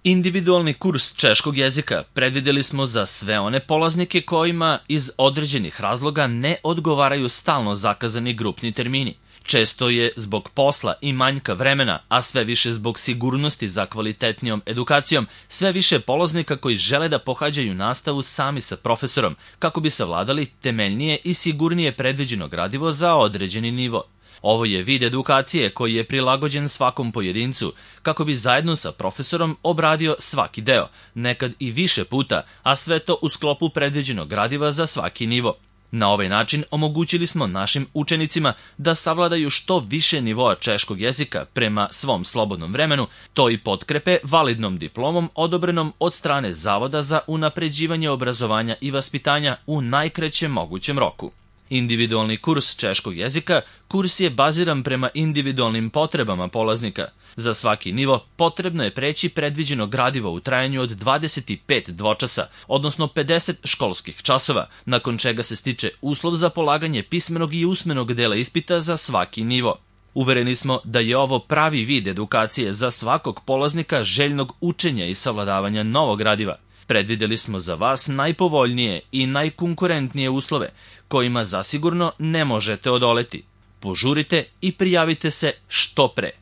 Individualni kurs češkog jezika predvideli smo za sve one polaznike kojima iz određenih razloga ne odgovaraju stalno zakazani grupni termini. Često je zbog posla i manjka vremena, a sve više zbog sigurnosti za kvalitetnijom edukacijom, sve više polaznika koji žele da pohađaju nastavu sami sa profesorom, kako bi savladali temeljnije i sigurnije predviđeno gradivo za određeni nivo. Ovo je vid edukacije koji je prilagođen svakom pojedincu, kako bi zajedno sa profesorom obradio svaki deo, nekad i više puta, a sve to u sklopu predviđenog gradiva za svaki nivo. Na ovaj način omogućili smo našim učenicima da savladaju što više nivoa češkog jezika prema svom slobodnom vremenu, to i potkrepe validnom diplomom odobrenom od strane Zavoda za unapređivanje obrazovanja i vaspitanja u najkraćem mogućem roku. Individualni kurs češkog jezika kurs je baziran prema individualnim potrebama polaznika. Za svaki nivo potrebno je preći predviđeno gradivo u trajanju od 25 dvočasa, odnosno 50 školskih časova, nakon čega se stiče uslov za polaganje pismenog i usmenog dela ispita za svaki nivo. Uvereni smo da je ovo pravi vid edukacije za svakog polaznika željnog učenja i savladavanja novog gradiva. Predvideli smo za vas najpovoljnije i najkonkurentnije uslove, kojima zasigurno ne možete odoleti. Požurite i prijavite se što pre.